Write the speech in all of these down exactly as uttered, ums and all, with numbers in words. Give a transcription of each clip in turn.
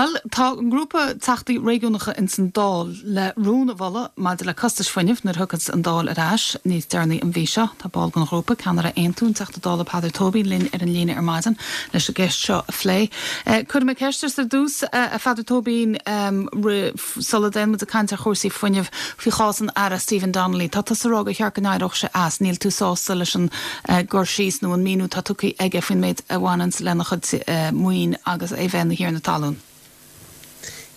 Well, tá an grúpa teachtaí réigiúnacha in san Dáil le rún a mholadh maidir le costais fuinnimh nuair a thiocfas an Dáil ar ais níos deireanaí an mhí seo. Tá ball den ghrúpa ceannaire Aontú an Teachta Dála Peadar Tóibín linn ar an líne ar maidin leis an gceist seo a phlé. Eh, Cuirfidh mé ceist ar dtús a Pheadar Tóibín um, sula dtéann muid ag caint ar chúrsaí fuinnimh faoi chás an Aire Stephen Donnelly. Tá tusa ag rá gur cheart go n-éireodh sé as níl tú sásta leis an uh, gcur síos nó an míniú atá tugtha aige faoin méid a bhaineann lena chuid uh, maoin agus é bheith ina thiarna talún.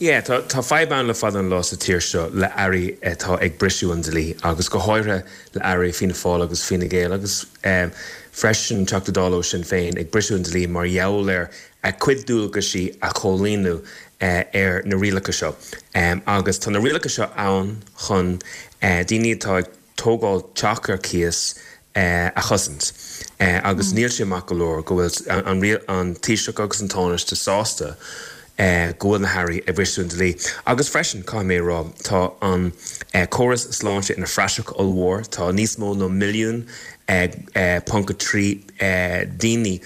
Yeah, tá tá fadhb ann le fada an lá sa tír seo le airí atá ag briseadh an dlí agus go háirithe le airí Fianna Fáil agus Fine Gael agus um, freisin Teachta Dála ó Sinn Féin ag briseadh an dlí mar gheall ar a gcuid dualgaisí a chomhlíonadh uh, ar na rialacha seo. Um, agus tá na rialacha seo ann chun uh, daoine atá ag tógáil teach ar cíos uh, a chosaint. Uh, agus mm. níl sé maith go leor go bhfuil an, an, an Taoiseach agus an Tánaiste sásta Uh, go bhfuil na hairí ag briseadh an dlí. Agus freisin caithfidh mé rá tá an uh, córas sláinte ina phraiseach ollmhór, tá níos mó ná milliún uh, uh, ponc trí uh, daoine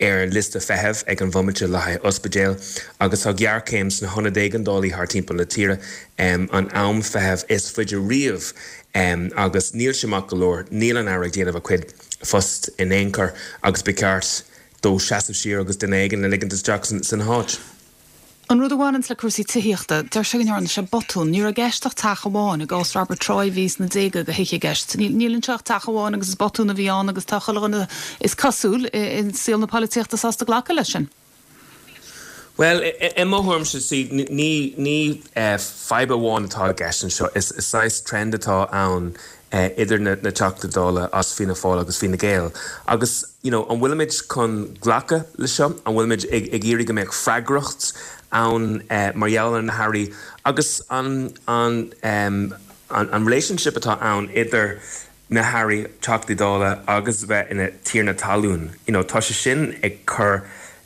ar liosta feithimh ag an bhomaite le haghaidh ospidéal, agus tá géarchéim sna hionaid éigeandála thar timpeall na tíre um, an am feithimh is faide riamh um, agus níl sé maith go leor níl an Aire ag déanamh a chuid post in aon chor agus ba cheart dó seasamh siar agus duine éigin a ligint isteach san áit. An rud a bhaineann le cúrsaí tithíochta, deir sé go ndearna sé botún, ní raibh i gceist ach teach amháin i gcás Robert Troy bhí sna déaga go hithe gceist. Níl anseo ach teach amháin agus is botún a bhí ann agus tá chuile is cosúil in saol na polaitíochta sásta glacadh leis sin. Well, i mo thuairimse sí ní ní fadhb amháin atá i gceist anseo is is trend atá ann uh, idir na, na Teachtaí Dála as Fianna Fáil agus Fine Gael. Agus you know, an bhfuilimid chun glacadh le seo, an bhfuilimid ag, ag iarraidh go mbeadh freagracht ann uh, mar gheall ar na hairí agus an, an, um, an, an relationship atá ann idir na hairí Teachtaí Dála agus bheith ina tiarna talún. You know, tá sé sin ag cur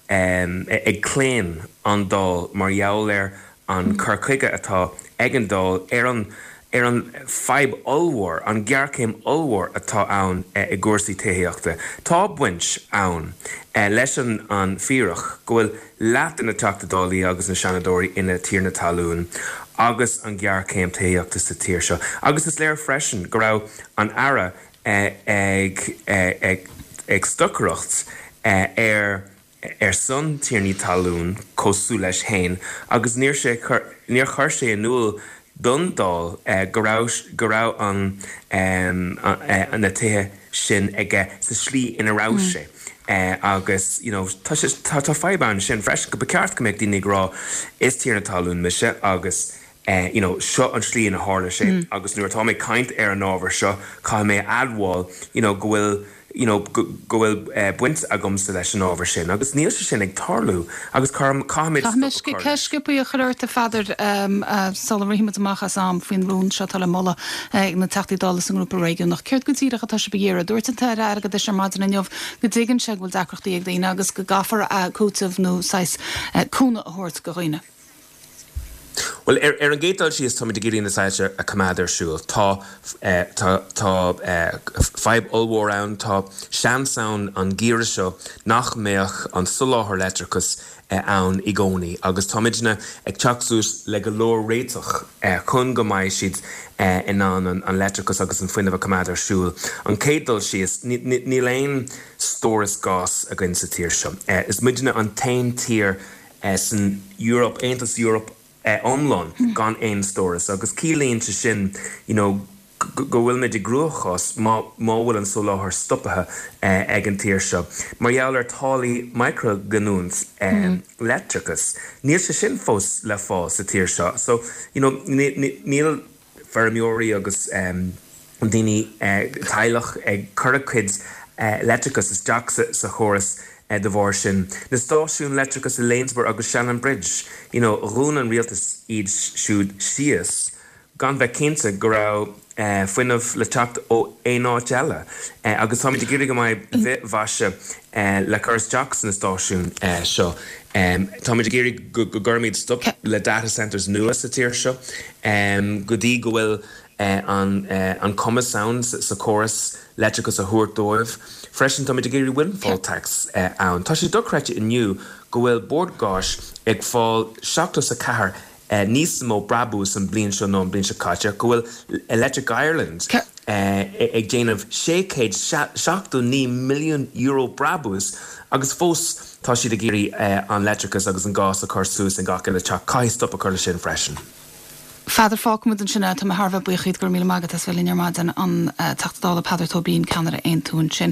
um, ag claon an Dáil mar gheall ar an cur chuige atá ag an Dáil ar an ar an fadhb ollmhór an géarchéim ollmhór atá ann e, i gcúrsaí tithíochta. Tá baint ann e, leis an an fíric go bhfuil leath de na Teachtaí Dála agus na Seanadóirí ina tiarnaí talún agus an géarchéim tithíochta sa tír seo. Agus is léir freisin go raibh an Aire e, ag, ag, ag stocaireacht ar ar son tiarnaí talún cosúil leis féin agus níor sé níor chuir sé in iúl don Dáil eh, go raibh go raibh an um, na tithe sin aige sa slí ina raibh mm. sé. Uh, agus you know, tá tá fadhb ansin freisin go ba cheart go mbeadh daoine ag rá is tiarna talún mise agus uh, you know, seo an slí ina tharla sé mm. agus nuair atá mé ag caint ar an ábhar seo caithfidh mé admháil you know, go bhfuil you know, go bhfuil uh, baint agamsa leis an ábhar sin, agus níl sé sin ag tarlú agus caithfimid Ceist a chur ort a Pheadair um, uh, sula rachaimid amach as am faoin rún seo le moladh ag na Teachtaí Dála san ngrúpa réigiúnach. Céard go díreach atá sibh ag iarraidh, dúirt an tAire Airgeadais ar maidin inniu go dtuigeann sé go bhfuil deacrachtaí ag daoine agus go gcaithfear cúiteamh nó saghas cúnamh a thabhairt do dhaoine. Well ar, ar an gcéad dul síos táimid ag iarraidh na soilse a choimeád ar siúl. Tá eh, tá tá eh, fadhb ollmhór ann tá seans ann an geimhreadh seo nach mbeadh an soláthar leictreachais eh, ann i gcónaí, agus táimidne ag teacht suas le go leor réiteach eh, chun go mbeidh siad eh, in ann an, an leictreachas agus an fuinneamh a choimeád ar siúl. An chéad dul síos níl aon stóras gáis againn sa tír seo. Eh, is muidne an t-aon tír eh, san Europe Aontas Europe eh, iomlán mm. gan aon stóras agus ciallaíonn sé sin you know, go bhfuil muid i gcruachás má má bhfuil an soláthar stoptha eh, ag an tír seo. Mar gheall ar táillí micreaghiniúint eh, mm. leictreachas. Níl sé sin fós le fáil sa tír seo. So you know, níl feirmeoirí agus um, daoine eh, teaghlach ag cur a gcuid eh, leictreachas isteach sa, sa chóras eh, de bharr sin. Na stáisiúin leictreachas i Lanesborough agus Shannonbridge, you know, dhún an rialtas iad siúd síos, gan bheith cinnte go raibh eh, fuinneamh le teacht ó aon áit eile. Eh, agus táimid ag iarraidh go mbeidh bithmhaise eh, le cur isteach sna stáisiúin eh, seo. Um, táimid ag iarraidh go gcuirfimid stop le data centers nua sa tír seo, um, go dtí go bhfuil eh, an, eh, an cumas ann sa, sa chóras leictreachas a thabhairt dóibh. Freisin táimid ag iarraidh windfall tax eh, ann. Tá sé dochreidte inniu go bhfuil Bord Gáis ag fáil seachtó is a ceathair níos mó brabús an bliain seo ná an bliain seo caite, go bhfuil Electric Ireland ag déanamh sé chéad seachtó naoi milliún euro brabús agus fós tá siad ag iarraidh an leictreachas agus an gás a chur suas in gach uile teach. Caithfidh stop a chur leis sin freisin. Pheadair fágfaimid ansin é, tá mé thar a bheith buíoch díot go raibh míle maith agat as bheith linn ar maidin an Teachta Dála Peadar Tóibín, ceannaire Aontú ansin.